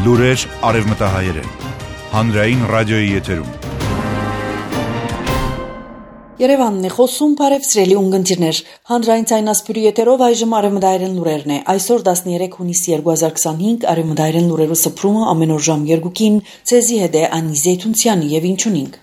Լուրեր արևմտահայերեն, հանրային ռադիոյի եթերում։ Երևանն է խոսում, բարև սիրելի ունգընտիրներ, հանրային ցայնասպյուրի եթերով այժմ արևմտահայերեն լուրերն է, այսօր 13 հունիս 2025, արևմտահայերեն լուրերու սփռումը ամեն օր ժամ 2-ին, ցեզի հետ է Անի Զեյթունցյանի եւ ինչունինք։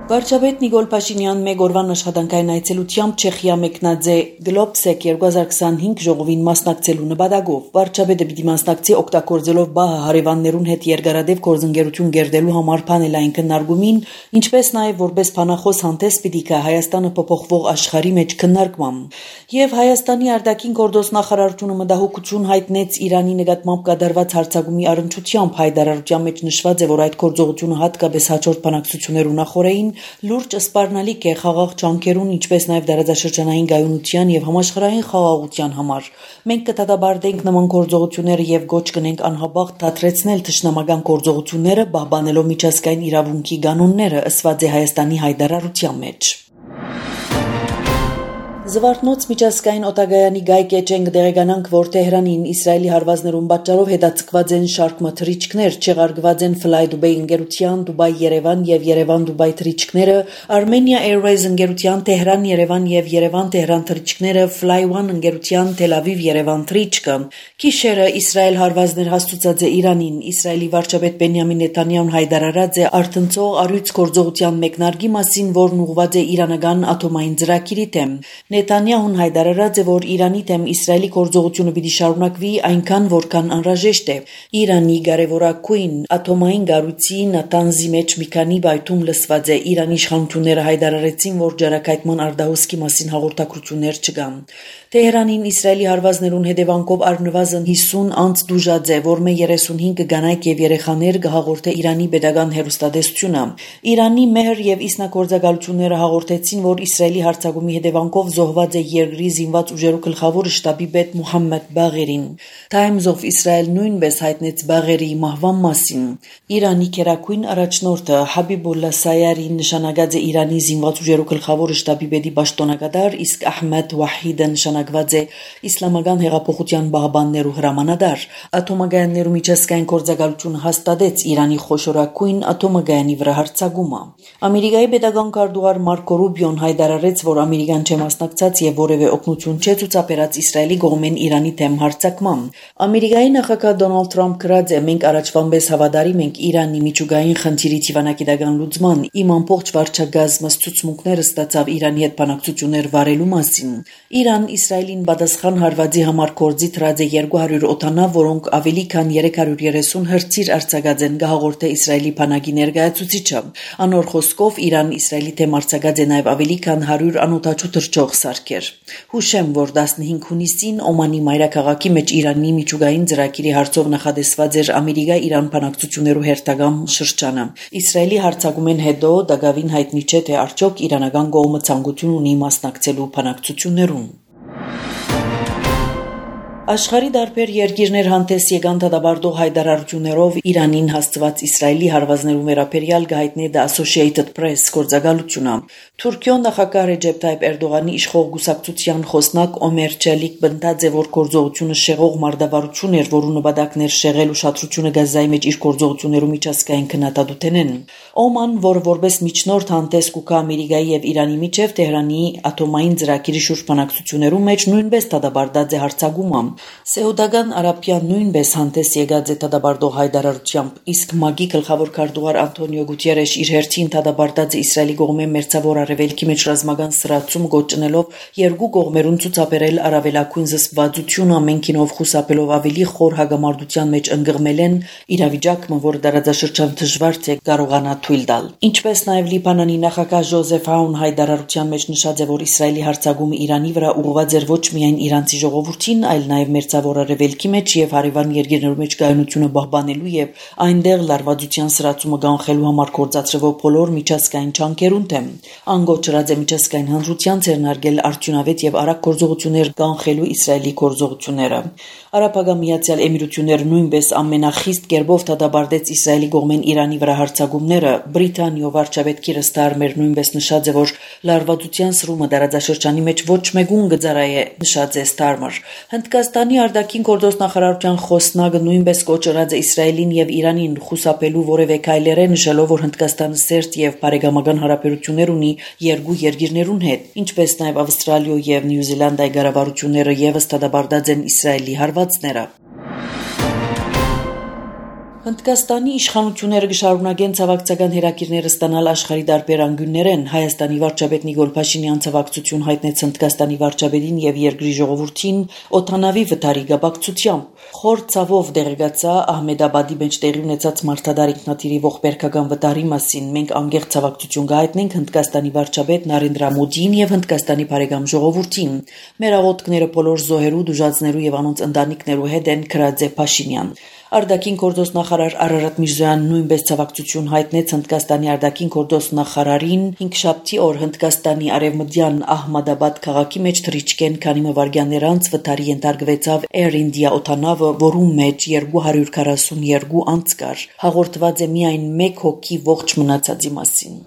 Վարչապետ Նիկոլ Փաշինյան մեկ օրվան աշխատանքային այցելությամբ Չեխիա մեկնած է Գլոբսեկ 2025 ժողովին մասնակցելու նպատակով։ Վարչապետը պիտի մասնակցի օգտագործելով ԲԱՀ հարևաններուն հետ երկարատև գործընկերություն գերդելու համար փանելային քննարկումին, ինչպես նաև որպես փանախոս հանդես պիտի գա Հայաստանը փոփոխվող աշխարհի մեջ քննարկմամբ։ Եվ Հայաստանի արտաքին գործ նախարարությունը մտահոգություն հայտնեց Իրանի նկատմամբ կատարված հարձակումի առնչությամբ հայտարարության մեջ նշված է, որ այդ գործողությունը հատկապես հաջորդ բանակցություններու նախորդին լուրջ սպառնալիք է խաղաղ ջանքերուն, ինչպես նաև դարաձաշրջանային գայունության եւ համաշխարհային խաղաղության համար։ Մենք կդատաբարտենք նման գործողությունները եւ գոչ կնենք անհապաղ դադրեցնել թշնամական գործողությունները, պահպանելով միջազգային իրավունքի կանոնները, ըսված է Հայաստանի հայտարարության մեջ։ Զվարթնոց միջազգային օտագայանի գայք էջենք դեղեկանանք, որ Թեհրանին Իսրայելի հարվածներուն պատճառով հետաձգված են շարք թռիչքներ, չեղարկված են Fly Dubai ընկերության, Dubai-Երևան եւ Երևան-Dubai թռիչքները, Armenia Airways ընկերության Թեհրան-Երևան եւ Երևան-Թեհրան թռիչքները, Fly One ընկերության Թել Ավիվ-Երևան թռիչքը։ Քիշերը Իսրայել հարվածներ հաստուցած է Իրանին, Իսրայելի վարչապետ Բենյամին Նեթանյահուն հայտարարած է արդնցող առյուծ գործողության մեկնարկի մասին, որն ուղղված է իրանական ատոմային ծրագիրի դեմ։ Նեթանյահուն հայտարարած է, որ Իրանի դեմ Իսրայելի գործողությունը պիտի շարունակվի այնքան, որքան անհրաժեշտ է։ Իրանի կարևորագույն ատոմային կառույցի Նատանզի մեջ մի քանի բայթում լսված է։ Իրանի իշխանությունները հայտարարեցին, որ ջարակայթման արդահոսքի մասին հաղորդակցություններ չկան։ Թեհրանին Իսրայելի հարվածներուն հետևանքով առնվազն 50 անց դուժած է, որմե 35 կանայք եւ երեխաներ կհաղորդե Իրանի պետական հեռուստատեսությունը։ Իրանի մեհր եւ իսնագործակալությունները հաղորդեցին, որ Իսրայելի հարձակումի հետևանքով զոհված է երկրի զինված ուժերու գլխավոր շտաբի պետ Մուհամմեդ Բաղերին։ Times of Israel նույնպես հայտնեց Բաղերի մահվան մասին։ Իրանի քերակույն առաջնորդը Հաբիբոլլա Սայարին նշանակած է Իրանի զինված ուժերու գլխավոր շտաբի պետի պաշտոնակատար, իսկ Ահմեդ Վահիդը նշանակված է Իսլամական հեղափոխության պահապաններու հրամանատար։ Ատոմագայաններու միջազգային գործակալությունը հաստատեց Իրանի խոշորագույն ատոմագայանի վրա հարձակումը։ Ամերիկայի պետական քարտուղար Մարկո Ռուբիոն հայտարարեց, որ ամերիկան չէ մասնակցած եւ որևէ օգնություն չէ ցուցաբերած Իսրայելի կողմեն Իրանի դեմ հարձակման։ Ամերիկայի նախագահ Դոնալդ Թրամփ գրած է. «Մենք առաջվանպես հավատարիմ ենք Իրանի միջուկային խնդիրի դիվանագիտական լուծման։ Իմ ամբողջ վարչագազմը ցուցմունքները ստացավ Իրանի հետ բանակցություններ վարելու մասին»։ Իրան Իսրայելին պատասխան հարվածի համար կորձի դրած է 200 օդանավ, որոնք ավելի քան 330 հրթիռ արձակած են, կհաղորդե Իսրայելի բանակի ներկայացուցիչը։ Անոր խոսքով Իրան Իսրայելի դեմ արձակած է նաև ավելի քան 100 անօդաչու թռչող սարքեր։ Հուշեմ, որ 15 հունիսին Օմանի մայրաքաղաքի մեջ Իրանի միջուկային ծրագիրի հարցով նախադեсված էր Ամերիկա-Իրան բանակցություններու հերթական շրջանը։ Իսրայելի հարձակումեն հետո դակավին հայտնի չէ, թե արդյոք իրանական կողմը ցանկություն ունի մասնակցելու բանակցություններուն։ Աշխարհի տարբեր երկիրներ հանդես եկան դատաբարտող հայտարարություններով Իրանին հասցված Իսրայելի հարվածներու վերաբերյալ գահիտնի The Associated Press գործակալությունը։ Թուրքիոն նախագահ Ռեջեփ Թայիփ Էրդողանի իշխող գուսակցության խոսնակ Օմեր Չելիկ բնդած է, որ գործողությունը շեղող մարտավարություն էր, որու նպատակն էր շեղել ուշադրությունը Գազայի մեջ իր գործողություններու միջազգային քննադատութենեն։ Օման, որ որպես միջնորդ հանդես կուկա Ամերիկայի եւ Իրանի միջև Թեհրանի ատոմային ծրագիրի շուրջ բանակցություններու մեջ նույնպես դատաբարտած է հարձակումը։ Սեուդական Արաբիան նույնպես հանդես եկած է դատաբարտող հայտարարությամբ, իսկ ՄԱԳ-ի գլխավոր քարտուղար Անտոնիո Գուտիերեշ իր հերթին դատաբարտած է Իսրայելի կողմէ մերձավոր արևելքի մեջ ռազմական սրացում գոչնելով երկու կողմերուն ցուցաբերել առավելագույն զսպվածություն ամենքինով խուսափելով ավելի խոր հագամարտության մեջ ընկղմել են իրավիճակը, որ դարաձաշրջան դժվար թե կարողանա թույլ տալ։ Ինչպես նաև Լիբանանի նախագահ Ժոզեֆ Աուն հայտարարության մեջ նշած է, որ Իսրայելի հարձակումը Իրանի վրա ուղղված էր ոչ միայն իրանցի ժողովրդին, այլ նաև մերձավոր արևելքի մեջ եւ հարևան երկրներու մեջ կայունությունը պահպանելու եւ այնտեղ լարվածության սրացումը կանխելու համար գործադրվող բոլոր միջազգային ջանքերուն դեմ։ Անգոչրած է միջազգային հանրության ձեռնարկել արդյունավետ եւ արագ գործողություններ կանխելու Իսրայելի գործողությունները։ Արաբական Միացյալ Էմիրությունները նույնպես ամենախիստ կերպով դադարեցրեց Իսրայելի կողմեն Իրանի վրա հարձակումները։ Բրիտանիա վարչապետ Քիր Ստարմեր նույնպես նշած է, որ լարվածության սրումը դարաձաշրջանի մեջ ոչ մեկուն գծարայ է, նշած է Ստարմեր։ Հնդկաստանի արտաքին գործոստ նախարարության խոսնակը նույնպես կոչրած է Իսրայելին եւ Իրանին խուսափելու որևէ քայլեր, նշելով, որ Հնդկաստանը սերտ եւ բարեկամական հարաբերություններ ունի երկու երկիրներուն հետ, ինչպես նաեւ Ավստրալիա եւ Նյու Զիլանդիայի կառավարությունները եւս դադարեցրած են Իսրայելի հարվածները։ Հնդկաստանի իշխանությունները կշարունակեն ցավակցական հերակիրները ստանալ աշխարհի տարբեր անկյուններեն։ Հայաստանի վարչապետ Նիկոլ Փաշինյան ցավակցություն հայտնեց Հնդկաստանի վարչապետին եւ երկրի ժողովրդին օդանավի վթարի գաբակցությամբ։ Խոր ցավով դերգացա Ահմեդաբադի մեջ տեղի ունեցած մարտադար ինքնաթիռի ողբերգական վտարի մասին։ Մենք անկեղծ ցավակցություն կհայտնենք Հնդկաստանի վարչապետ Նարենդրա Մոդիին եւ Հնդկաստանի բարեկամ ժողովրդին։ Մեր աղոթքները բոլոր զոհերու, դժուժածներու եւ անոնց ընտանիքներու հետ են, գրած է Փաշինյան։ Արտաքին գործոստ նախարար Արարատ Միրզոյանն նույնպես ցավակցություն հայտնեց Հնդկաստանի արտաքին գործոստ նախարարին 5-շաբթի օր Հնդկաստանի արևմտյան Ահմադաբադ քաղաքի մեջ թռիչքեն քանի մվարգյաններ անց վթարի ենթարկվեցավ Air India օդանավը, որում մեջ 242 անձ կար։ Հաղորդված է միայն 1 հոգի ողջ մնացածի մասին։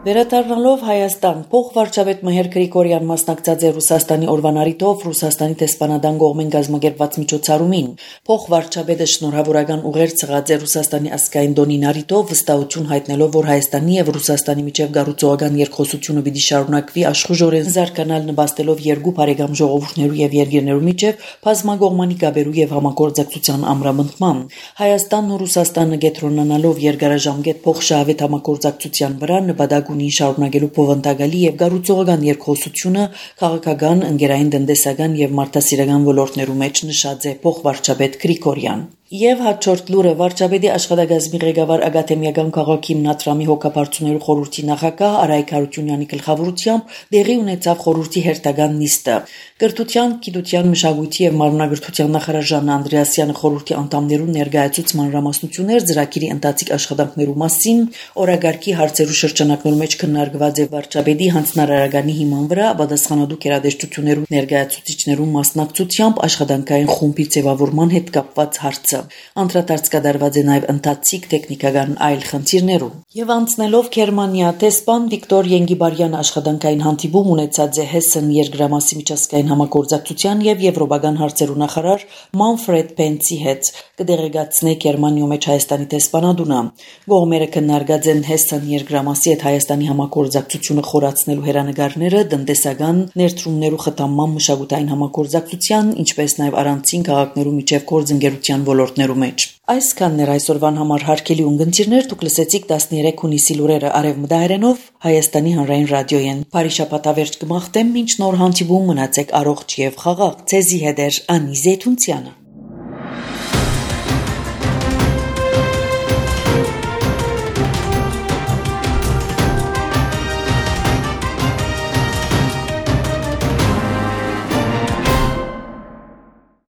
Վերադառնալով Հայաստան, փոխվարչապետ Մհեր Գրիգորյան մասնակցած է Ռուսաստանի օրվան առիթով Ռուսաստանի տեսփանադան կողմեն կազմակերպված միջոցառումին։ Փոխվարչապետը շնորհավորական ուղեր ցղած է Ռուսաստանի ազգային տոնին առիթով, վստահություն հայտնելով, որ Հայաստանի եւ Ռուսաստանի միջև գառուցողական երկխոսությունը պիտի շարունակվի աշխուժորեն զարգանալ, նպաստելով երկու բարեկամ ժողովուրդներու եւ երկիրներու միջև բազմակողմանի կապերու եւ համագործակցության ամրապնդման։ Հայաստանն ու Ռուսաստանը կենտրոնանալով երկարաժամկետ փոխշահավետ համագործակցության վրա նպատակ ունի շարունակելու բովանդակալի եւ գառուցողական երկխոսությունը քաղաքական, ընկերային, տնտեսական եւ մարդասիրական ոլորտներու մեջ, նշած է փոխվարչապետ Գրիգորյան։ Եվ հաջորդ լուրը վարչապետի աշխատակազմի ղեկավար Ակադեմիական քաղաքի Մնատրամի հոգաբարձուներու խորհրդի նախագահ Արայք Հարությունյանի գլխավորությամբ տեղի ունեցավ խորհրդի հերթական նիստը։ Կրթության, գիտության, մշակույթի եւ մարմնագրթության նախարար Ժաննա Անդրեասյանը խորհրդի անդամներուն ներկայացուց մանրամասնություններ ծրագիրի ընթացիկ աշխատանքներու մասին, օրագարկի հարցերու շրջանակներու մեջ քննարկված է վարչապետի հանձնարարականի հիման վրա պատասխանատու գերատեսչություններու ներկայացուցիչներու մասնակցությամբ աշխատանքային խումբի ձևավորման հետ կապված հարցը։ Անդրադարձ կատարված է նաև ընթացիկ տեխնիկական այլ խնդիրներու։ Եվ անցնելով Գերմանիա, տեսփան Վիկտոր Ենգիբարյանը աշխատանքային հանդիպում ունեցած է Հեսեն երկրամասի միջազգային համագործակցության եւ եվրոպական հարցերու նախարար Մանֆրեդ Պենցի հետ, կդեղեկացնե Գերմանիա մեջ Հայաստանի տեսփանադունը։ Կողմերը քննարկած են Հեսեն երկրամասի հետ Հայաստանի համագործակցությունը խորացնելու հերանեկարները, տնտեսական ներդրումներու խթանման, մշակութային համագործակցության, ինչպես նաև առանցին քաղաքներու միջև գործընկերության ոլորտներու մեջ։ Այսքանն էր այսօրվան համար հարգելի ունգընտիրներ, դուք լսեցիք 13 հունիսի լուրերը արևմտահայերենով Հայաստանի հանրային ռադիոյեն։ Բարի շաբաթավերջ կմաղթեմ, մինչ նոր հանդիպում, մնացեք առողջ եւ խաղաղ։ Ձեզի հետ է Անի Զեյթունցյանը։